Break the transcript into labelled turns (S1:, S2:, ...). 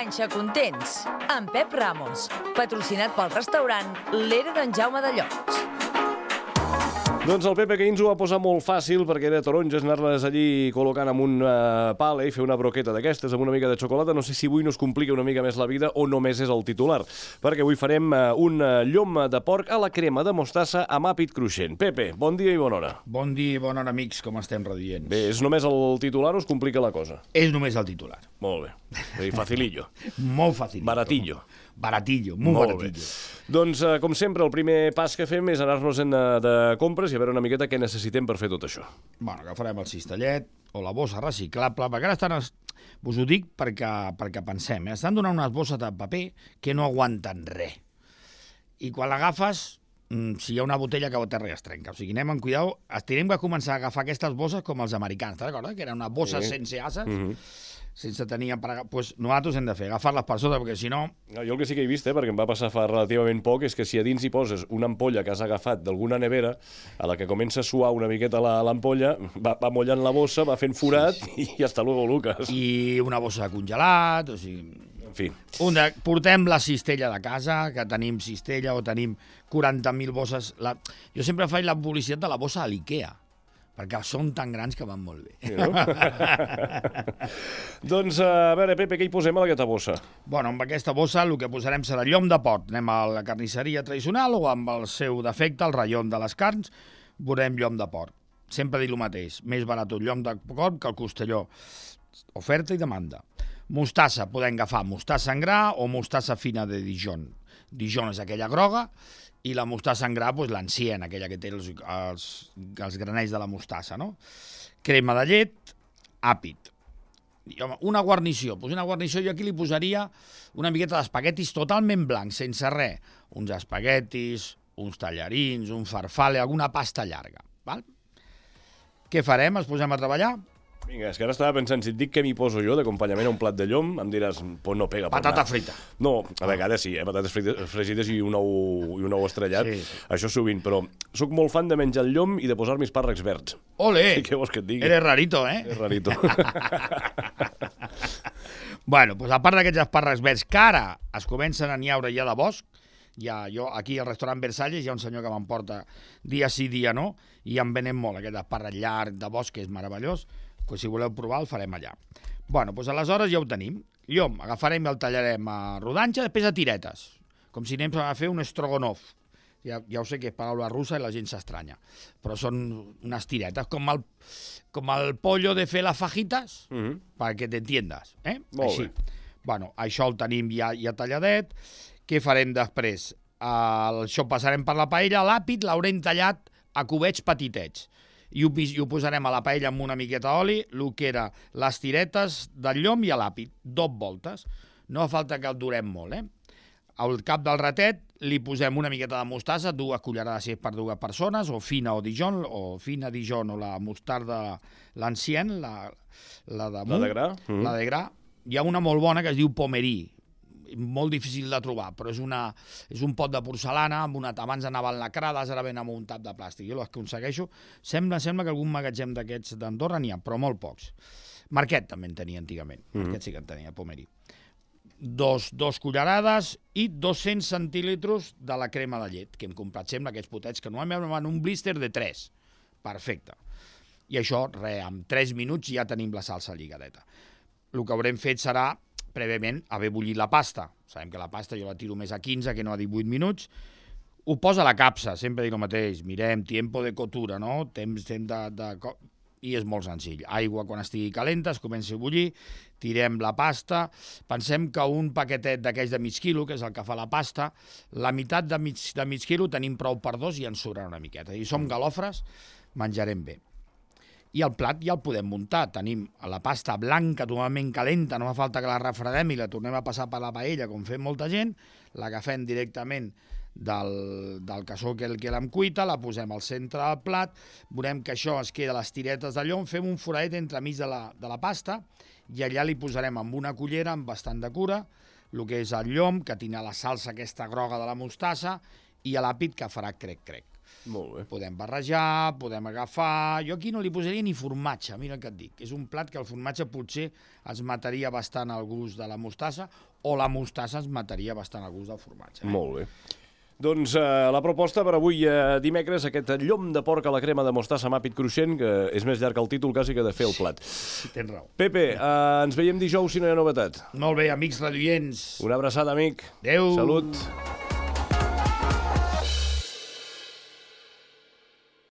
S1: Panxa Contents, amb Pep Ramos, patrocinat pel restaurant L'Era d'en Jaume de Llots.
S2: Doncs el Pepe que ens ho va posar molt fàcil perquè era taronges, anar-les allí col·locant amb un pala i fer una broqueta d'aquestes amb una mica de xocolata. No sé si avui nos complica una mica més la vida o només és el titular, perquè avui farem un llom de porc a la crema de mostassa amb àpid cruixent. Pepe, bon dia i bona hora.
S3: Bon dia i bona hora, amics, com estem radients?
S2: Bé, és només el titular o es complica la cosa?
S3: És només el titular.
S2: Molt bé. És facilillo.
S3: Molt facilillo.
S2: Baratillo.
S3: Baratillo, molt baratillo.
S2: Doncs, com sempre, el primer pas que fem és anar-nos de compres i a veure una miqueta què necessitem per fer tot això.
S3: Bueno, agafarem el cistellet o la bossa reciclable, perquè ara estan... Us ho dic perquè pensem, estan donant unes bosses de paper que no aguanten res. I quan l'agafes, si hi ha una botella que terra es trenca. O sigui, anem amb cuidado. Tenim que començar a agafar aquestes bosses com els americans, te'n recordes? Que eren unes bosses sense ases, sense tenir pues nosaltres hem de fer, agafar-les per sota, perquè si no...
S2: Jo el que sí que he vist, perquè em va passar fa relativament poc, és que si a dins hi poses una ampolla que has agafat d'alguna nevera, a la que comença a suar una miqueta l'ampolla, va mollant la bossa, va fent forat i hasta luego, Lucas.
S3: I una bossa de congelat, o sigui...
S2: En fi.
S3: Portem la cistella de casa, que tenim cistella o tenim 40.000 bosses. Jo sempre faig la publicitat de la bossa a l'Ikea, perquè són tan grans que van molt bé.
S2: Sí, no? Doncs, a veure, Pepe, què hi posem a aquesta bossa?
S3: Bueno, amb aquesta bossa el que posarem serà llom de porc. Anem a la carnisseria tradicional o amb el seu defecte, el ratllon de les carns, veurem llom de porc. Sempre dic el mateix, més barat un llom de porc que el costelló. Oferta i demanda. Mostassa, podem agafar mostassa en gra o mostassa fina de Dijon. Dijon és aquella groga, i la mostassa en gra, l'ancien, aquella que té els granells de la mostassa, no? Crema de llet, àpid. Una guarnició. Una guarnició jo aquí li posaria una miqueta d'espaguetis totalment blancs, sense res. Uns espaguetis, uns tallarins, un farfalle, alguna pasta llarga. Val? Què farem? Ens posem a treballar?
S2: Vinga, és que ara estava pensant, si et dic què m'hi poso jo d'acompanyament a un plat de llom, em diràs, pues no pega.
S3: Patata frita.
S2: No, a vegades sí, patates fregides i un ou estrellat, sí. Això sovint, però sóc molt fan de menjar el llom i de posar-me espàrrecs verds.
S3: Ole!
S2: Què vols que et digui?
S3: Eres rarito, eh?
S2: És rarito.
S3: Bueno, doncs a part d'aquests espàrrecs verds que ara es comencen a niaure ja de bosc, jo aquí al restaurant Versalles hi ha un senyor que m'emporta dia sí, dia no, i em venen molt aquest espàrrec llarg de bosc, que és meravellós. Si voleu provar, el farem allà. Bueno, doncs aleshores ja ho tenim. Llom, agafarem i el tallarem a rodanxa, després a tiretes, com si anem a fer un strogonoff. Ja ho sé que és paraula russa i la gent s'estranya, però són unes tiretes, com el pollo de fer les fajitas, perquè t'entiendes. Així. Bueno, això el tenim ja talladet. Què farem després? Això passarem per la paella, l'àpid l'haurem tallat a cubets petitets. I ho posarem a la paella amb una miqueta d'oli, el que era les tiretes del llom i l'àpid, 2 voltes. No fa falta que el durem molt, Al cap del ratet li posem una miqueta de mostassa, 2 cullerades si és per 2 persones, o fina Dijon, o la mostarda l'ancien, la de
S2: gra.
S3: La de gra. Hi ha una molt bona que es diu Pomerí, molt difícil de trobar, però és un pot de porcelana, abans anaven lacrades, ara ven amb un tap de plàstic. Jo les aconsegueixo. Sembla que algun magatzem d'aquests d'Andorra n'hi ha, però molt pocs. Marquet també en tenia antigament. Marquet sí que en tenia, Pomerí. 2 cullerades i 200 centílitres de la crema de llet, que hem comprat sempre aquests potets, que normalment van un blister de 3. Perfecte. I això, en 3 minuts ja tenim la salsa lligadeta. El que haurem fet serà prèviament haver bullit la pasta. Sabem que la pasta jo la tiro més a 15 que no a 18 minuts. Ho posa a la capsa, sempre dic el mateix. Mirem, tiempo de cottura, no? Temps i és molt senzill. Aigua quan estigui calenta, es comença a bullir, tirem la pasta, pensem que un paquetet d'aquells de mig quilo, que és el que fa la pasta, la meitat de mig quilo tenim prou per 2 i ens sobrarà una miqueta. I som galofres, menjarem bé. I el plat ja el podem muntar. Tenim la pasta blanca totalment calenta, no fa falta que la refredem i la tornem a passar per la paella, com fem molta gent, l'agafem directament del cassó que l'hem cuita, la posem al centre del plat, veurem que això es queda a les tiretes de llom, fem un foradet entremig de la pasta i allà li posarem amb una cullera, amb bastant de cura, el que és el llom, que tindrà la salsa aquesta groga de la mostassa i l'àpid que farà crec-crec.
S2: Molt bé.
S3: Podem barrejar, podem agafar... Jo aquí no li posaria ni formatge, mira el que et dic. És un plat que el formatge potser ens mataria bastant el gust de la mostassa o la mostassa ens mataria bastant el gust del formatge.
S2: Molt bé. Doncs la proposta per avui dimecres, aquest llom de porc a la crema de mostassa amb àpid cruixent, que és més llarg que el títol quasi que de fer el plat.
S3: Tens raó.
S2: Pepe, ens veiem dijous si no hi ha novetat.
S3: Molt bé, amics radioients.
S2: Una abraçada, amic.
S3: Adéu.
S2: Salut.